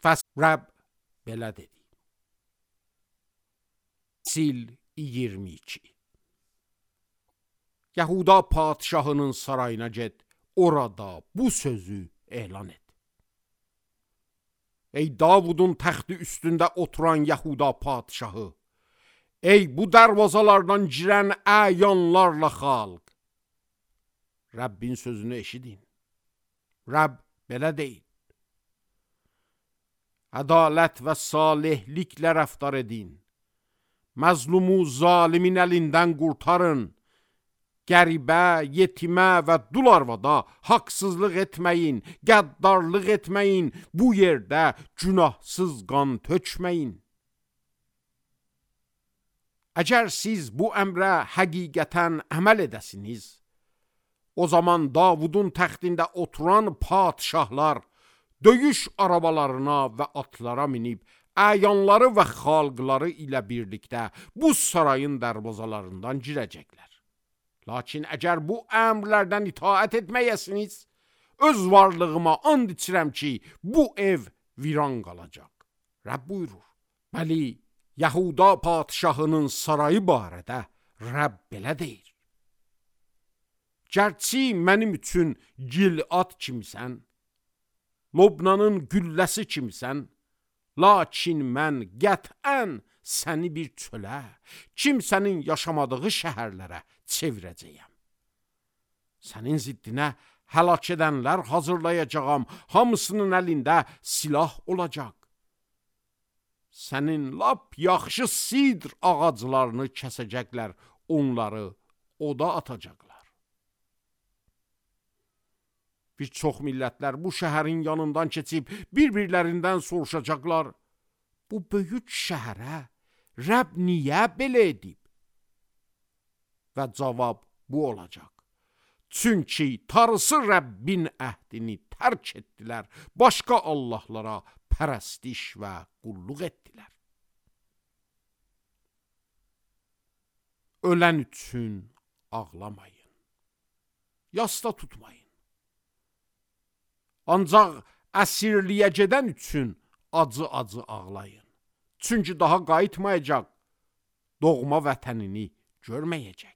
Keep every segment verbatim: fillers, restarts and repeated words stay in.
Fəs Rəbb belə dedi. Sil iyirmi iki. Yahuda padşahının sarayına get, orada bu sözü elan et. Ey Davudun təxti üstündə oturan Yahuda padşahı, ey bu dərvazalardan girən əyanlarla xalq, Rəbbin sözünü eşidin. Rəbb belə deyil. Ədalət və salihliklə rəftar edin. Məzlumu zalimin əlindən qurtarın. Qəribə, yetimə və dul arvada haqsızlıq etməyin, qəddarlıq etməyin, bu yerdə günahsız qan tökməyin. Əgər siz bu əmrə həqiqətən əməl edəsiniz, o zaman Davudun təxtində oturan padşahlar döyüş arabalarına və atlara minib, əyanları və xalqları ilə birlikdə bu sarayın dərvazalarından girəcəklər. Lakin əgər bu əmrlərdən itaət etməyəsiniz, öz varlığıma and içirəm ki, bu ev viran qalacaq. Rəbb buyurur. Bəli, Yahuda padşahının sarayı barədə Rəbb belə deyir. Gərçi mənim üçün Gilad kimsən, Lobnanın gülləsi kimsən, lakin mən qətən səni bir çölə, kimsənin yaşamadığı şəhərlərə çevirəcəyəm. Sənin ziddinə həlak edənlər hazırlayacağam, hamısının əlində silah olacaq. Sənin lap yaxşı sidr ağaclarını kəsəcəklər, onları oda atacaqlar. Bir çox millətlər bu şəhərin yanından keçib bir-birlərindən soruşacaqlar. Bu böyük şəhərə Rəbb niyə belə edib? Və cavab bu olacaq. Çünki Tanrısı Rəbbin əhdini tərk etdilər, başqa Allahlara pərəstiş və qulluq etdilər. Ölən üçün ağlamayın, yasta tutmayın. Ancaq əsirliyə gedən üçün acı-acı ağlayın. Çünki daha qayıtmayacaq, doğma vətənini görməyəcək.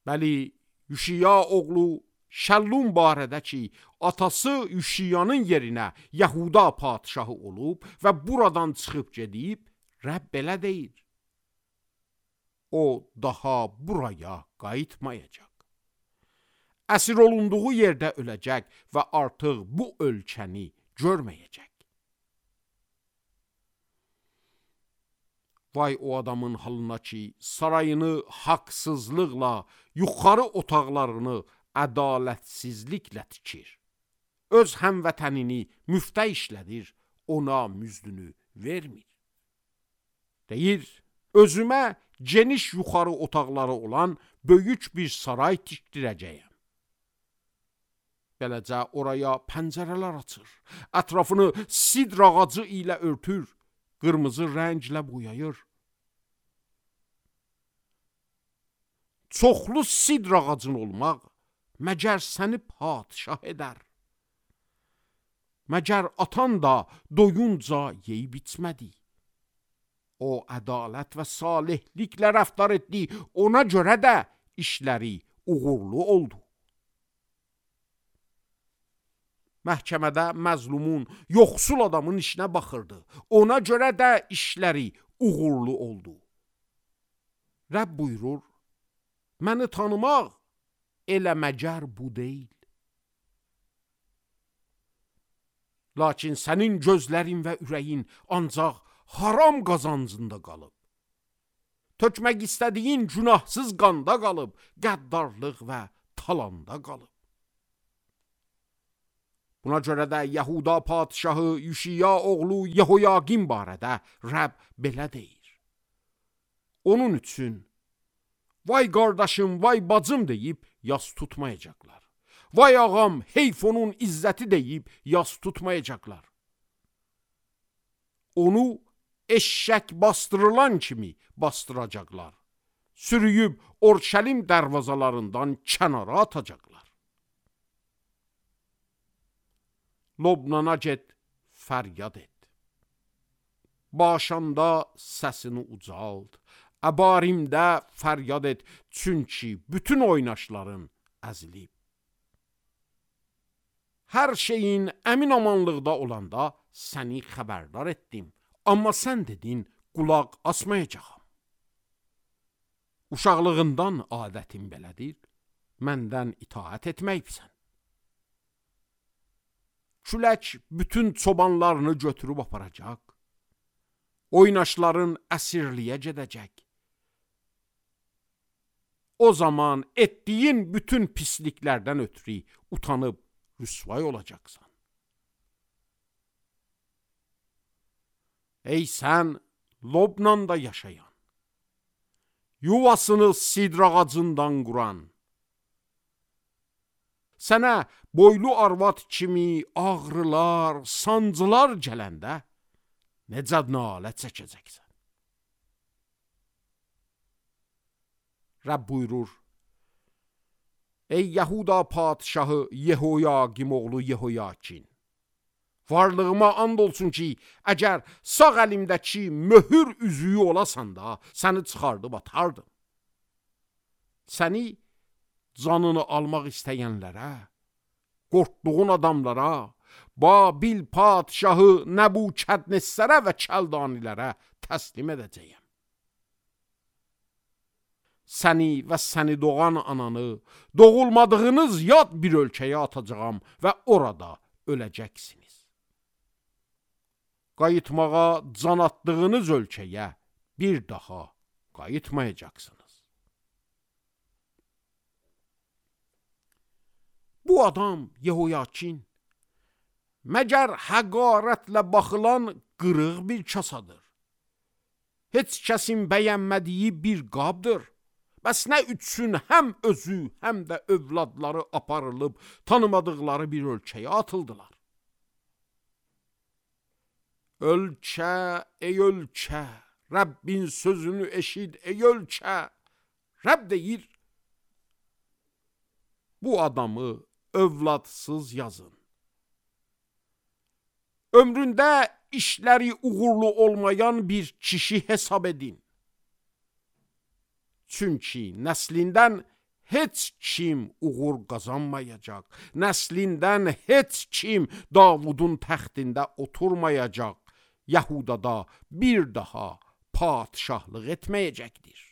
Bəli, Yüşiya oğlu Şəllum barədə ki, atası Yüşiyanın yerinə Yahuda padşahı olub və buradan çıxıb gedib, Rəbb belə deyir. O daha buraya qayıtmayacaq. Əsir olunduğu yerdə öləcək və artıq bu ölkəni görməyəcək. Vay o adamın halına ki, sarayını haqsızlıqla, yuxarı otaqlarını ədalətsizliklə tikir. Öz həmvətənini müftə işlədir, ona müzdünü vermir. Deyir, özümə geniş yuxarı otaqları olan böyük bir saray tikdirəcəyəm. Beləcə oraya pəncərələr açır, ətrafını sidr ağacı ilə örtür, qırmızı rənglə boyayır. Çoxlu sidr ağacın olmaq məgər səni padşah edər. Məgər atan da doyunca yeyib içmədi. O ədalət və salihliklə rəftar etdi, ona görə də işləri uğurlu oldu. Məhkəmədə məzlumun, yoxsul adamın işinə baxırdı. Ona görə də işləri uğurlu oldu. Rəbb buyurur, məni tanımaq elə məgər bu deyil. Lakin sənin gözlərin və ürəyin ancaq haram qazancında qalıb. Tökmək istədiyin günahsız qanda qalıb, qəddarlıq və talanda qalıb. Buna görə də Yahuda padşahı Yüşiya oğlu Yehoyaqim barədə Rəbb belə deyir. Onun üçün, vay qardaşım, vay bacım deyib yas tutmayacaqlar. Vay ağam, heyf onun izzəti deyib yas tutmayacaqlar. Onu eşşək bastırılan kimi bastıracaqlar. Sürüyüb Orşəlim dərvazalarından kənara atacaqlar. Lobnana get, fəryad et. Başanda səsini ucald, əbarimdə fəryad et, çünki bütün oynaşların əzilib. Hər şeyin əmin amanlıqda olanda səni xəbərdar etdim, amma sən dedin, qulaq asmayacağam. Uşaqlığından adətin belədir, məndən itaət etməksən. Külək bütün çobanlarını götürüb aparacaq, oynaşların əsirliyə gedəcək. O zaman etdiyin bütün pisliklərdən ötürü utanıb rüsvay olacaqsan. Ey sən Lobnanda yaşayan, yuvasını sidr ağacından quran, sənə boylu arvad kimi ağrılar, sancılar gələndə necə nalə çəkəcəksən? Rəbb buyurur, ey Yahuda padşahı Yehoyaqim oğlu Yehoyakin, varlığıma and olsun ki, əgər sağ əlimdəki möhür üzüyü olasan da, səni çıxardıb atardım. Səni canını almaq istəyənlərə, qorxduğun adamlara, Babil padşahı Nəbukədnessərə və Kəldanilərə təslim edəcəyəm. Səni və səni doğan ananı doğulmadığınız yad bir ölkəyə atacağam və orada öləcəksiniz. Qayıtmağa can atdığınız ölkəyə bir daha qayıtmayacaqsınız. Bu adam Yehoyakin, məgər həqarətlə baxılan qırıq bir kasadır. Heç kəsin bəyənmədiyi bir qabdır. Bəs nə üçün həm özü, həm də övladları aparılıb tanımadıqları bir ölkəyə atıldılar? Ölkə, ey ölkə, Rəbbin sözünü eşid, ey ölkə. Rəbb deyir, bu adamı övladsız yazın. Ömründə işləri uğurlu olmayan bir kişi hesab edin. Çünki nəslindən heç kim uğur qazanmayacaq. Nəslindən heç kim Davudun təxtində oturmayacaq. Yahudada bir daha padşahlıq etməyəcəkdir.